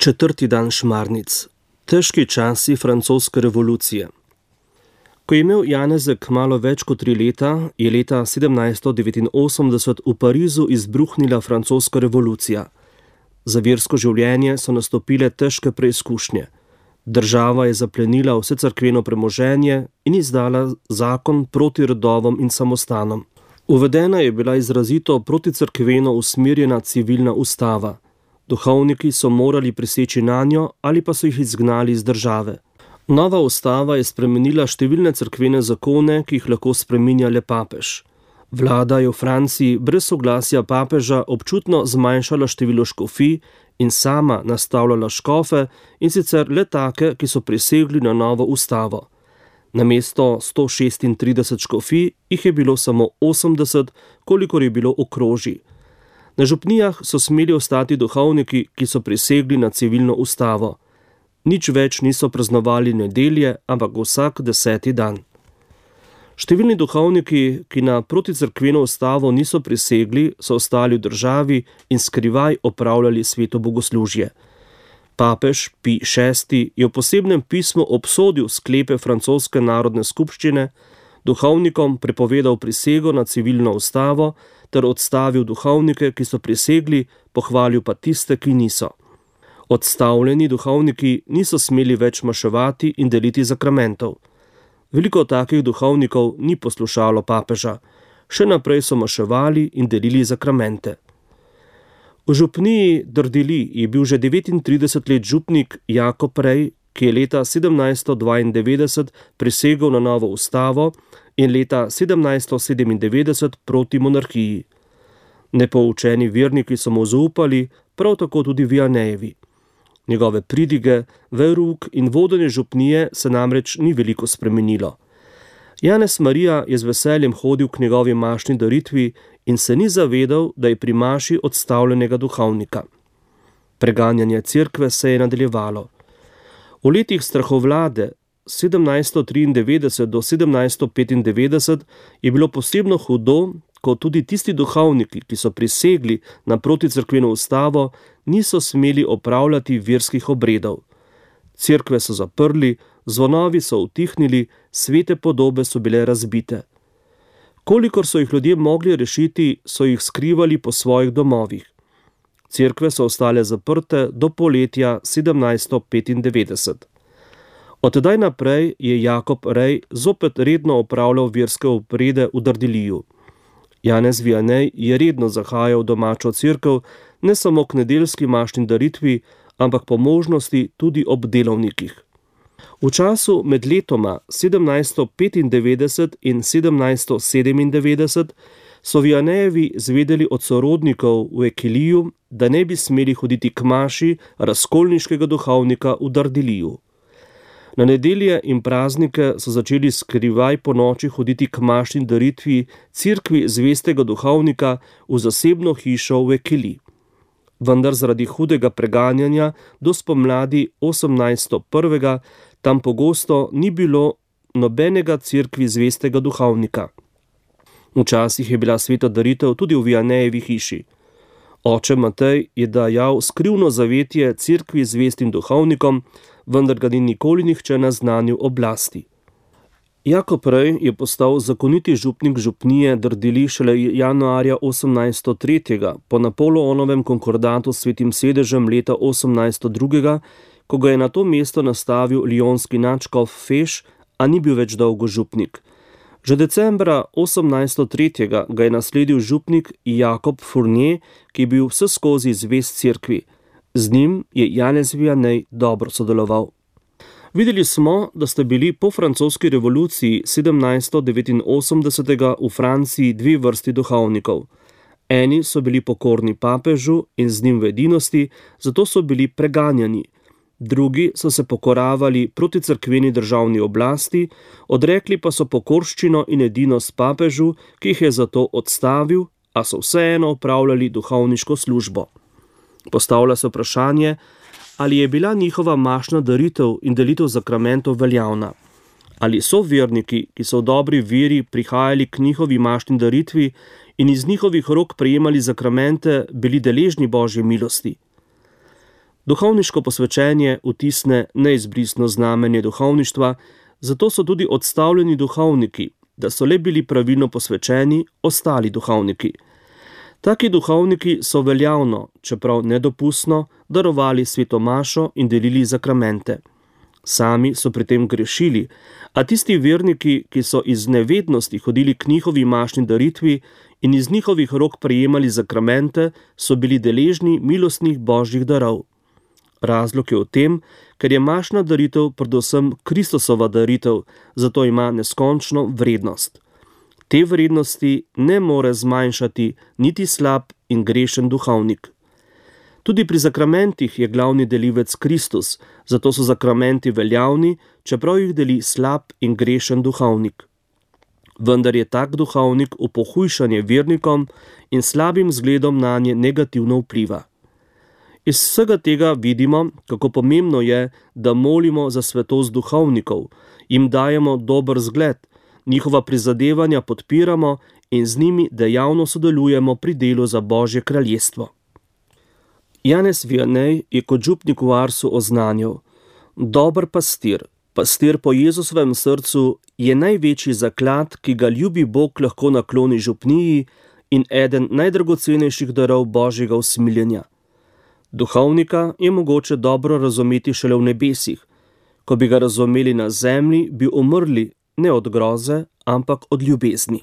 Četrti dan šmarnic. Težki časi francoske revolucije. Ko je imel Janezek malo več kot 3 leta, je leta 1789 v Parizu izbruhnila francoska revolucija. Za versko življenje so nastopile težke preizkušnje. Država je zaplenila vse cerkveno premoženje in izdala zakon proti rodovom in samostanom. Uvedena je bila izrazito proticerkveno usmerjena civilna ustava. Duhovniki so morali priseči nanjo ali pa so jih izgnali iz države. Nova ustava je spremenila številne cerkvene zakone, ki jih lahko spreminja le papež. Vlada je v Franciji brez soglasja papeža občutno zmanjšala število škofij in sama nastavljala škofe, in sicer le take, ki so prisegli na novo ustavo. Namesto 136 škofij jih je bilo samo 80, kolikor je bilo okrožij. Na župnijah so smeli ostati duhovniki, ki so prisegli na civilno ustavo. Nič več niso praznovali nedelje, ampak vsak 10. dan. Številni duhovniki, ki na proticerkveno ustavo niso prisegli, so ostali v državi in skrivaj opravljali sveto bogoslužje. Papež Pij VI je v posebnem pismu obsodil sklepe francoske narodne skupščine, duhovnikom prepovedal prisego na civilno ustavo ter odstavil duhovnike, ki so prisegli, pohvalil pa tiste, ki niso. Odstavljeni duhovniki niso smeli več maševati in deliti zakramentov. Veliko takih duhovnikov ni poslušalo papeža. Še naprej so maševali in delili zakramente. V župniji Drdili je bil že 39 let župnik Jakob Rej, ki je leta 1792 prisegel na novo ustavo in leta 1797 proti monarhiji. Nepoučeni verniki so mu zaupali, prav tako tudi Vianejevi. Njegove pridige, verouk in vodenje župnije se namreč ni veliko spremenilo. Janez Marija je z veseljem hodil k njegovi mašni daritvi in se ni zavedal, da je pri maši odstavljenega duhovnika. Preganjanje cerkve se je nadaljevalo. V letih strahovlade 1793 do 1795 je bilo posebno hudo, ko tudi tisti duhovniki, ki so prisegli na proticerkveno ustavo, niso smeli opravljati verskih obredov. Cerkve so zaprli, zvonovi so utihnili, svete podobe so bile razbite. Kolikor so jih ljudje mogli rešiti, so jih skrivali po svojih domovih. Cerkve so ostale zaprte do poletja 1795. Od tedaj naprej je Jakob Rej zopet redno opravljal verske obrede v Drdiliju. Janez Vianej je redno zahajal v domačo cerkev, ne samo k nedeljski mašni daritvi, ampak po možnosti tudi ob delovnikih. V času med letoma 1795 in 1797 so Vianejevi zvedeli od sorodnikov v Ekiliju, da ne bi smeli hoditi k maši razkolniškega duhovnika v Drdiliju. Na nedelje in praznike so začeli skrivaj po noči hoditi k mašni daritvi cerkvi zvestega duhovnika v zasebno hišo v Ekili. Vendar zaradi hudega preganjanja do spomladi 1801 tam pogosto ni bilo nobenega cerkvi zvestega duhovnika. Včasih je bila sveta daritev tudi v Vianejevi hiši. Oče Matej je dajal skrivno zavetje cerkvi zvestim duhovnikom, vendar ga ni nikoli nihče naznanil oblasti. Jakob Rej je postal zakoniti župnik župnije Drdili šele januarja 1803. po Napoleonovem konkordatu s Svetim sedežem leta 1802, ko ga je na to mesto nastavil lionski nadškof Feš, a ni bil več dolgo župnik. Že decembra 1803. ga je nasledil župnik Jakob Fournier, ki je bil vseskozi zvest cerkvi. Z njim je Janez Vianej dobro sodeloval. Videli smo, da sta bili po francoski revoluciji 1789 v Franciji 2 vrsti duhovnikov. Eni so bili pokorni papežu in z njim v edinosti, zato so bili preganjani. Drugi so se pokoravali proti cerkveni državni oblasti, odrekli pa so pokorščino in edinost papežu, ki jih je zato odstavil, a so vseeno opravljali duhovniško službo. Postavlja se vprašanje, ali je bila njihova mašna daritev in delitev zakramentov veljavna. Ali so verniki, ki so v dobri veri prihajali k njihovi mašni daritvi in iz njihovih rok prejemali zakramente, bili deležni Božje milosti. Duhovniško posvečenje vtisne neizbrisno znamenje duhovništva, zato so tudi odstavljeni duhovniki, da so le bili pravilno posvečeni ostali duhovniki. Taki duhovniki so veljavno, čeprav nedopustno, darovali sveto mašo in delili zakramente. Sami so pri tem grešili, a tisti verniki, ki so iz nevednosti hodili k njihovi mašni daritvi in iz njihovih rok prejemali zakramente, so bili deležni milostnih božjih darov. Razlog je v tem, ker je mašna daritev predvsem Kristusova daritev, zato ima neskončno vrednost. Te vrednosti ne more zmanjšati niti slab in grešen duhovnik. Tudi pri zakramentih je glavni delivec Kristus, zato so zakramenti veljavni, čeprav jih deli slab in grešen duhovnik. Vendar je tak duhovnik v pohujšanje vernikom in slabim zgledom nanje negativno vpliva. Iz vsega tega vidimo, kako pomembno je, da molimo za svetost duhovnikov, jim dajemo dober zgled, njihova prizadevanja podpiramo in z njimi dejavno sodelujemo pri delu za Božje kraljestvo. Janez Vianney je kot župnik v Arsu oznanil: dober pastir, pastir po Jezusovem srcu, je največji zaklad, ki ga ljubi Bog lahko nakloni župniji in eden najdragocenejših darov Božjega usmiljenja. Duhovnika je mogoče dobro razumeti šele v nebesih. Ko bi ga razumeli na zemlji, bi umrli ne od groze, ampak od ljubezni.